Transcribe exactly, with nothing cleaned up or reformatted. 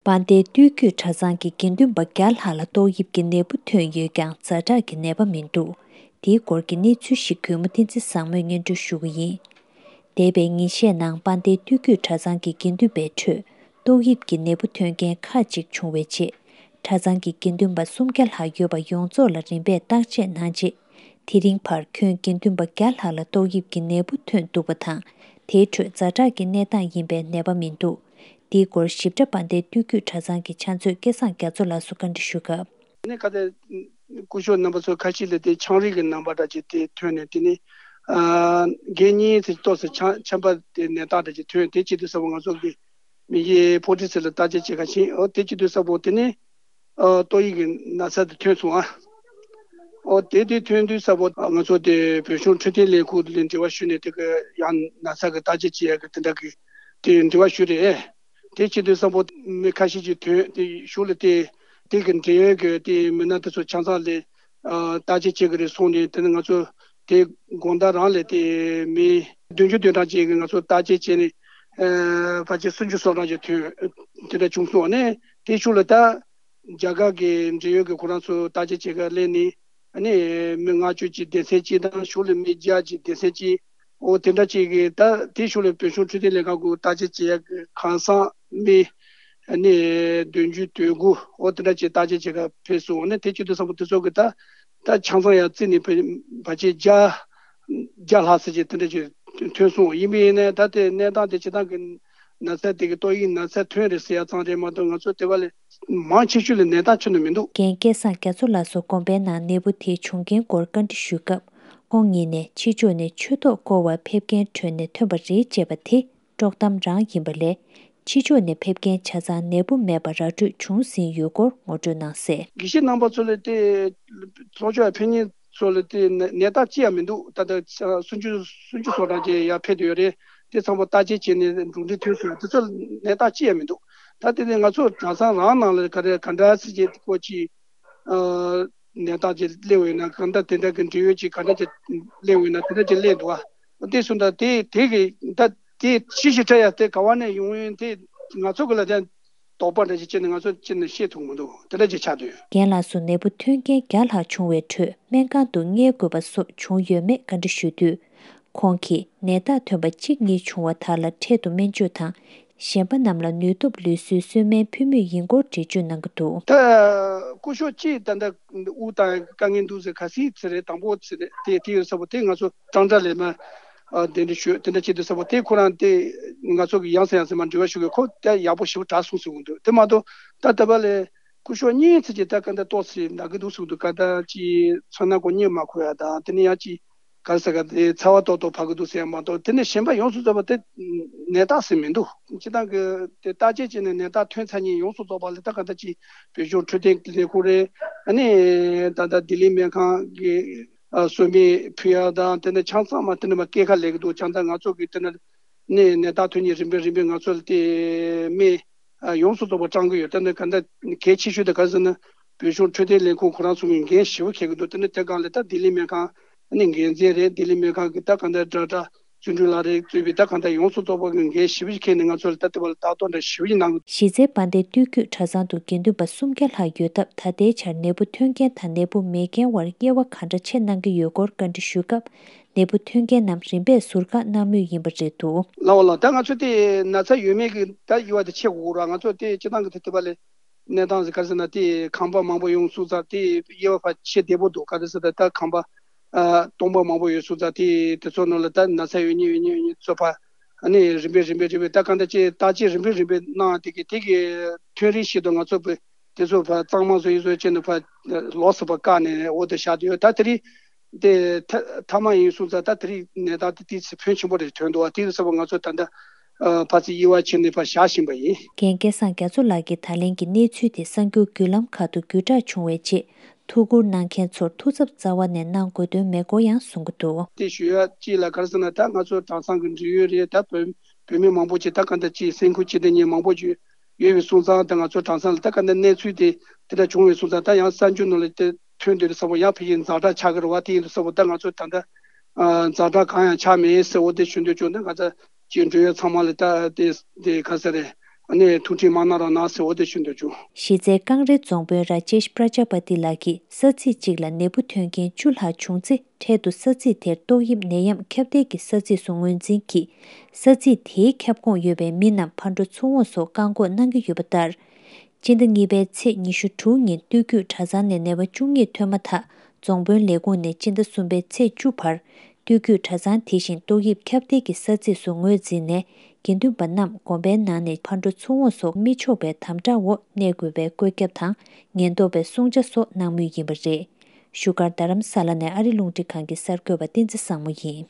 དཔལ་ལྡན་སྟོད་རྒྱུད་གྲྭ་ཚང་གི་དགེ་འདུན་པ་བརྒྱ་ལྷག་ལ་ཏོག་དབྱིབས་ཀྱི་ནད་འབུ་ཐོན་ཡོད་ཀྱང་ཛ་དྲག་གི་ནད་པ་མི་འདུག་དེའི་སྐོར་གྱི་གནས་ཚུལ་ཞིག་གུས་མོ་བསྟན་འཛིན་བཟང་མོས་སྙན་སྒྲོན་ཞུ་གི་ཡིན། འདས་པའི་ཉིན་ཤས་ནང་དཔལ་ལྡན་སྟོད་རྒྱུད་གྲྭ་ཚང་གི་དགེ་འདུན་པའི་ཁྲོད་ཏོག་དབྱིབས་ཀྱི་ནད་འབུ་ཐོན་མཁན་ཁག་ཅིག་བྱུང་བའི་རྗེས། གྲྭ་ཚང་གི་དགེ་འདུན་པ་སུམ་བརྒྱ་ལྷག་ཡོད་པ་ཡོངས་རྫོགས་ལ་རིམ་པས་བརྟག་དཔྱད་གནང་རྗེས། དེ་རིང་བར་ཁྱོན་དགེ་འདུན་པ་བརྒྱ་ལྷག་ལ་ཏོག་དབྱིབས་ཀྱི་ནད་འབུ་ཐོན་འདུག་པ་དང་། དེའི་ཁྲོད་ཛ་དྲག་གི་གནས་སྟངས་ཡིན་པའི་ནད་པ་མི་འདུག་འདིའི་སྐོར་ཞིབ་ཕྲ་དཔལ་ལྡན་སྟོད་རྒྱུད་གྲྭ་ཚང་གི་ཕྱག་མཛོད་སྐལ་བཟང་རྒྱ་མཚོ་ལགས་སུ་བཀའ་འདྲི་ཞུ་སྐབས། ནི་ཁ་ཏེ་སྐུ་ཞབས་རྣམ་པ་ཚོ་ཁ་ཤས་ལ་དེ་ཆང་རིགས་ཀྱི་རྣམ་པ་འདྲ་ཅིག་དེ་ཐོན་ནས་དེ་ནི་ཨ་འགན་གཉིས་དེ་ཏོག་ཙམ་ཆམ་ཆམ་པ་དེ་ནད་རྟགས་འདྲ་ཅིག་ཐོན། དེ་བྱེད་དུས་ཙམ་པ་ང་ཚོ་གི་མི་ཡི་ཕོ་ཊི་ཚེ་ལ་བརྟག་དཔྱད་བྱེད་ག་ཕྱིན། ཨོ་དེ་བྱེད་དུས་ཙམ་པ་དེ་ནི་ཨ་ཏོག་དབྱིབས་ཀྱི་ན་ཚ་དེ་ཐོན་སོང་ཨ། ཨོ་དེ་དེ་ཐོན་དུས་ཙམ་པ་ང་ཚོ་དེ་བོད་གཞུང་འཕྲོད་བསྟེན་ལས་ཁུངས་ལ་འབྲེལ་བ་ཞུས་ནས་དེ་གི་ཡང་ན་ཚ་གི་བརྟག་དཔྱད་བྱེད་ཡ་གི་དེ་འདྲ་གི་དེ་འབྲེལ་བ་ཞུས་རེད། དེ་བྱེད་དུས་ཙམ་པ་མི་ཁ་ཤས་ཀྱིས་ཐོན་དེ་གཞུང་ལ་དེ་དེ་གི་འབྲེལ་ཡོད་ཀྱི་དེ་མི་སྣ་དེ་ཚོ་ཆ་ཚང་ལ་ཨ་བརྟག་དཔྱད་བྱེད་ཀྱི་རེད་གསུངས་ནས། དེ་ནི་ང་ཚོ་དེ་དགོང་དག་རང་ལ་དེ་མི་བདུན་ཅུ་དོན་གྲངས་ཅན་གྱི་ང་ཚོ་བརྟག་དཔྱད་བྱས་ནས་ཨ་ཕལ་ཆེར་སུམ་ཅུ་སོ་གྲངས་ཅིག་ཐོན་དེ་འདྲ་བྱུང་སོང་ནས། དེ་གཞུང་ལ་ད་རྒྱ་གར་གྱི་འབྲེལ་ཡོད་ཀྱི་ཁོ་རང་ཚོ་བརྟག་དཔྱད་བྱེད་ག་སླེབས་ནས་ཨ་ནི་མི་ལྔ་བཅུ་ཅིག་སྡེ་ཚན་གཅིག་དང་གཞུང་ལ་མི་བརྒྱ་ཅིག་སྡེ་ཚན་གཅིག་འོ་དེ་འདྲ་ཅིག་གིས་ད་དེ་གཞུང་ལ་བོད་གཞུང་འཕྲོད་བསྟེན་ལས་ཁང་གི་བརྟག་དཔྱད་བྱེད་ཡ་གི་ཁང་སང་མི་ཨ་ནི་བདུན་ཅུ་དོན་དགུ་འོ་དེ་འདྲ་ཅིག་བརྟག་དཔྱད་བྱེད་ག་ཕེབས་སོང་། འོ་ནི་དེ་བྱེད་དུས་ཙམ་པ་དེ་ཚོ་གི་ད་ད་ཆང་ཚང་ཡ་རྩིས་ནས་ཕལ་ཕལ་ཆེར་བརྒྱ་བརྒྱ་ལྷག་ཙམ་ཅིག་དེ་འདྲ་ཅིག་ཐོན་སོང་། ཡིན་པ་ཡིན་ནའི་ད་དེ་གནས་སྟངས་དེ་སྤྱིར་བཏང་གི་ན་ཚ་དེ་གི་ཏོག་དབྱིབས་ན་ཚ་ཐོན་རེད་ཟེར་ཡ་ཙམ་རེད་མ་གཏོགས་ང་ཚོ་དེ་བ་ལས་མང་ཆེ་ཤོས་ལ་ནད་རྟགས་ཐོན་ནི་མི་འདུག་རྒན་སྐལ་བཟང་རྒྱ་མཚོ་ལགས་སུ་དགོངས་པའི་ནང་ནད་འབུ་དེ་བྱུང་རྐྱེན་སྐོར་བཀའ་འདྲི་ཞུས་སྐབས། ཁོང་ཉིད་ནས་ཕྱི་ཕྱོགས་ནས་ཆོས་ཐོག་བསྐོར་བར་ཕེབས་མཁན་ཁྲོད་ནས་ཐོན་པ་རེད་ཅེས་པ་དེ་དཀྲོག་གཏམ་རང་ཡིན་པ་ལས། ཕྱི་ཕྱོགས་ནས་ཕེབས་མཁན་ཆ་ཚང་ནད་འབུ་མེད་པ་ར་སྤྲོད་བྱུང་ཟིན་ཡོད་སྐོར་ངོ་སྤྲོད་གནང་གསལ། དགེ་བཤེས་རྣམ་པ་ཚོ་ལ་དེ་ལྷོ་ཕྱོགས་ཕེབས་མཁན་ཚོ་ལ་དེ་ནད་རྟགས་ཅི་ཡང་མི་འདུག་ད་ལྟ་སུམ་ཅུ་སུམ་ཅུ་སོ་གྲངས་ཅིག་ཡར་ཕེབས་བསྡད་ཡོད་རེད། དེ་ཚང་མ་བརྟག་དཔྱད་བྱས་ནས་འབྲུ་འགྲིག་ཐོན་སོང་། དེ་ཚོ་ནད་རྟགས་ཅི་ཡང་མི་འདུག་ད་དེ་ནས་ང་ཚོ་གྲྭ་ཚང་རང་ནང་ལ་ག་རེ་ག་འདྲ་སེ་བྱས་ཀོ་ཅི་ཨ་ནད་རྟགས་ཅིག་སླེབས་ཡོད་ན། གང་ལྟར་དེ་འདྲ་གི་འབྲེལ་ཡོད་ཅིག་ག་འདྲ་ཅིག་སླེབས་ཡོད་ན་དེ་འདྲ་ཅིག་སླེབས་འདུག་ཨ། དེ་སོང་ད་དེ་དེ་གི་ད་དེ་ཅི་ཞིག་འཕྲད་ཡ་དེ་ག་བ་ནས་ཡོང་ཡོད་དེ་ང་ཚོ་གི་ལ་དེ་དོགས་པ་འདྲ་ཅིག་བྱས་ནས་ང་ཚོ་ཅི་ནས་ཤེས་ཐུབ་མི་འདུག་དེ་འདྲ་ཅིག་ཆགས་འདུག་རྒན་ལགས་སུ་ནད་འབུ་ཐོན་མཁན་བརྒྱ་ལྷག་བྱུང་བའི་ཁྲོད་སྨན་ཁང་དུ་བསྙལ་དགོས་པ་སོགས་བྱུང་ཡོད་མེད་བཀའ་འདྲི་ཞུས་དུས། ཁོང་གིས་ནད་རྟགས་ཐོན་པ་གཅིག་གཉིས་བྱུང་བ་དག་ལ་འཕྲལ་དུ་སྨན་བཅོས་དང་། གཞན་པ་རྣམས་ལ་ནུས་སྟོབས་ལུས་གསོའི་གསོལ་སྨན་ཕུལ་མུས་ཡིན་སྐོར་འགྲེལ་བརྗོད་གནང་གི་འདུག་ད་སྐུ་ཞབས་ཅིག་ད་ལྟ་དབུགས་བཏང་དཀའ་ངལ་འདུག་ཟེར་ཁ་སང་ཚེ་རེད། དང་པོ་ཚེ་རེད། དེ་དེ་ཡོད་ས་པོ་དེ་ང་ཚོ་ཀྲང་ཀྲ་ལས་མ་ཨ་གདན་འདྲེན་ཞུས་དེ་འདྲ་བྱེད་དུས་ས་པོ་དེ་ཁོ་རང་དེ་ང་ཚོ་གི་ཡང་སེ་ཡང་སེ་མ་འབྲེལ་བ་ཞུ་གི་ཁོ་དེ་ཡག་པོ་ཞེ་པོ་དྲག་སོང་ཟེར་གི་འདུག་དེ་མ་གཏོགས་ད་ལྟ་བ་ལས་སྐུ་ཞབས་གཉིས་ཚེ་ཅིག་ད་ག་འདྲ་ཏོག་ཙམ་ན་གི་འདུག་ཟེར་གི་འདུག་ག་ད་ཅིག་མཚོན་ན་ཁོ་གཉིད་མ་ཁུག་ཡ་དང་དེ་ནས་ཡང་ཅིག་ག་རེ་ཟེར་ག་དེ་ཚ་བ་ཏོག་ཏོག་བབས་ཀྱི་འདུག་ཟེར་ཡ་མ་གཏོགས་དེ་ནས་གཞན་པ་ཡོངས་སུ་རྫོགས་པ་དེ་ནད་རྟགས་ཟེར་མི་འདུག་སྤྱིར་བཏང་གི་དེ་བརྟག་དཔྱད་བྱས་ནས་ནད་རྟགས་ཐོན་ཚར་མཁན་ཡོངས་སུ་རྫོགས་པ་ལ་ད་ག་ད་ཅིག་བོད་གཞུང་འཕྲོད་བསྟེན་ལས་ཁུངས་རེད། ཨ་ནི་ད་ལྟ་ལྡི་ལི་སྨན་ཁང་གི་ཨ་གསོལ་སྨན་ཕུལ་ཡ་དང་དེ་ནས་ཆང་ཚང་མ་དེ་ནས་མ་སྐྱེལ་ཁ་ལས་ཀྱི་འདུག་ཆང་ཚང་ང་ཚོ་གི་དེ་ནས་ནད་རྟགས་ཐོན་མཁན་རིམ་པས་རིམ་པས་ང་ཚོ་ལ་དེ་སྨན་ཨ་ཡོངས་སུ་རྫོགས་པ་སྤྲང་གི་ཡོད། དེ་ནི་ག་འདྲ་གལ་ཆེ་ཤོས་དེ་ག་རེ་ཟེར་ན་བོད་གཞུང་འཕྲོད་བསྟེན་ལས་ཁུངས་ཁོ་རང་ཚོ་གིས་འགན་ཞེ་པོ་འཁྱེར་གི་འདུག་དེ་ནི་དེ་སྒང་ལ་ད་ལྡི་ལི་སྨན་ཁང་ཨ་ནི་འགན་འཛིན་རེད། ལྡི་ལི་སྨན་ཁང་གི་ད་ག་འདྲ་ཌོག་ཊར་བརྩོན་འགྲུས་ལགས་རེད་གཙོས་པའི་ད་ག་འདྲ་ཡོངས་སུ་རྫོགས་པ་གིས་འགན་ཞེ་པོ་ཞིག་འཁྱེར་ནས་ང་ཚོ་ལ་ད་ལྟ་བ་ལ་ལྟ་རྟོག་འདྲ་ཞེ་པོ་ཞིག་གནང་གི་འདུག་གཞི་རྩའི་དཔལ་ལྡན་སྟོད་རྒྱུད་གྲྭ་ཚང་དུ་དགེ་འདུན་པ་སུམ་བརྒྱ་ལྷག་ཡོད་སྟབས། ད་ལྟའི་ཆར་ནད་འབུ་ཐོན་མཁན་དང་ནད་འབུ་མེད་མཁན་བར་དབྱེ་བ་ག་འདྲ་ཕྱེ་གནང་གི་ཡོད་སྐོར་བཀའ་འདྲི་ཞུས་སྐབས། ནད་འབུ་ཐོན་མཁན་རྣམས་རིམ་པས་ཟུར་བཀག་གནང་མུས་ཡིན་པ་རེད་འདུག་ལགས་འོ་ལགས། ད་ང་ཚོ་དེ་ན་ཚ་ཡོད་མེད་ཀྱི་ད་དབྱེ་བ་དེ་ཕྱེ་དགོས་ར། ང་ཚོ་དེ་སྤྱིར་བཏང་གི་དེ་དེ་བ་ལས་གནས་སྟངས་ཟེར་ག་རེ་ཟེར་ན་དེ་ཁང་པ་མང་པོ་ཡོང་སོང་ཙང་དེ་དབྱེ་བ་ཕར་ཕྱེ་བདེ་པོ་འདུག་ག་རེ་ཟེར་ད་ད་ཁང་པ་ཨ་སྟོང་པ་མང་པོ་ཡོད་སོང་ཙང་དེ་དེ་ཚོ་ནང་ལ་ད་ན་ཚ་ཡོད་མཁན་ཡོད་མཁན་ཡོད་མཁན་ཚོ་ཕར་ཨ་ནི་རིམ་པས་རིམ་པས་རིམ་པས་ད་ག་འདྲ་ཅིག་བརྟག་དཔྱད་རིམ་པས་རིམ་པས་གནང་དེ་གི་དེ་གི་ཐོན་རིམ་ཞིག་ཏུ་ང་ཚོ་དེ་ཚོ་ཕར་གཙང་མ་བཟོ་ཡི་བཟོ་བྱས་ནས་ཕར་ལོགས་སུ་ཕར་བཀག་ནས་འོ་དེ་བཞག་དེ་ཡོད། ད་དེ་རིང་དེ་ཐ་མ་ཡིན་སོང་ཙང་ད་དེ་རིང་ནད་རྟགས་དེ་ཏོག་ཙམ་ཕོན་ཆེན་པོ་རེ་ཐོན་འདུག་བ། དེ་ཡིན་ཙང་ང་ཚོ་ད་ལྟ་ཕར་ཚུར་དབྱེ་བ་ཕྱེ་ནས་ཕར་བཞག་བཞིན་པ་ཡིན། རྒན་སྐལ་བཟང་རྒྱ་མཚོ་ལགས་ཀྱིས་ད་ལན་གྱི་གནས་ཚུལ་དེ་གསར་འགྱུར་བརྒྱུད་ལམ་ཁག་ཏུ་བརྒྱུད་བསྒྲགས་བྱུང་བའི་རྗེས། ཐུགས་ཁུར་གནང་མཁན་ཚོར་ཐུགས་འཚབ་རྩ་བ་ནས་གནང་དགོས་དོན་མེད་སྐོར་ཡང་གསུང་གི་འདུག་དེ་ཞུ་ཡ་གཅིག་ལ་ག་རེ་ཟེར་ན་ད་ང་ཚོ་གྲྭ་ཚང་གི་འབྲེལ་ཡོད་རེད། ད་བོད་བོད་མི་མང་པོ་ཅིག་ད་ག་འདྲ་ཅིག་སེམས་ཁུར་ཅིག་དེ་ཉིད་མང་པོ་ཅིག་ཡོད་པའི་སོང་ཙང་ད་ང་ཚོ་གྲྭ་ཚང་ལ་ད་ག་འདྲ་གནས་ཚུལ་དེ་དེ་འདྲ་བྱུང་བའི་སོང་ཙང་ད་ཡང་གསར་འགྱུར་ནང་ལ་དེ་ཐོན་དུས་ཙམ་པ་ཡང་ཕ་གིའི་ཛ་དྲག་ཆགས་ཀྱི་རེད་བ། དེ་ཡིན་དུས་ཙམ་པ་ད་ང་ཚོ་ད་ལྟ་ཛ་དྲག་གང་ཡང་ཆགས་མེད་ཟེར་འོ་དེ་ཞུ་འདོད་བྱུང་། ད་ང་ཚོ་ཅིག་འབྲེལ་ཡོད་ཚང་མ་ལ་ད་དེ་དེ་ག་ཟེར་རེད། ཨ་ནི་ཐུགས་ཁྲལ་མ་གནང་རོགས་གནང་ཟེར་འོ་དེ་ཞུ་འདོད་བྱུང་། གཞི་རྩའི་ཀང་རེ་རྫོང་དཔོན་ར་ཅེཤ་པྲ་ཇ་པ་ཏི་ལགས་ཀྱིས་ས་ཚིགས་གཅིག་ལ་ནད་འབུ་ཐོན་མཁན་བཅུ་ལྷག་བྱུང་ཚེ། འཕྲལ་དུ་ས་ཚིགས་དེར་ཏོག་དབྱིབས་ནད་ཡམས་ཁྱབ་གདལ་གྱི་ས་ཚིགས་སུ་ངོས་འཛིན་གྱིས། ས་ཚིགས་དེའི་ཁྱབ་ཁོངས་ཡོད་པའི་མི་རྣམས་ཕར་འགྲོ་ཚུར་འོང་སོགས་བཀག་འགོག་གནང་གི་ཡོད་པ་ལྟར། སྤྱི་ཟླ་གཉིས་པའི་ཚེས་ཉི་ཤུ་དྲུག་ཉིན་སྟོད་རྒྱུད་གྲྭ་ཚང་ནས་ནད་པ་བཅུ་གཉིས་ཐོན་མ་ཐག་རྫོང་དཔོན་ལས་ཁུངས་ནས་སྤྱི་ཟླ་གསུམ་པའི་ཚེས་བཅུ་བར། སྟོད་རྒྱུད་གྲྭ་ཚང་དེ་བཞིན་ཏོག་དབྱིབས་ཁྱབ་གདལ་གྱི་ས་ཚིགས་སུ་ངོས་འཛིན་ནས། དགེ་འདུན་པ་རྣམས་དགོན་པའི་ནང་ནས་ཕར་འགྲོ་ཚུར་འོང་སོགས་མི་ཆོག་པའི་དམ་དྲག་འོག་གནས་དགོས་པའི་བཀོད་ཁྱབ་དང་། ཉེན་རྟོག་པའི་བསྲུང་བྱ་སོགས་གནང་མུས་ཡིན་པ་རེད། བཞུགས་སྒར་རྡ་རམ་ས་ལ་ནས་ཨ་རི་རླུང་འཕྲིན་ཁང་གི་གསར་འགོད་པ་བསྟན་འཛིན་བཟང་མོ་ཡིན།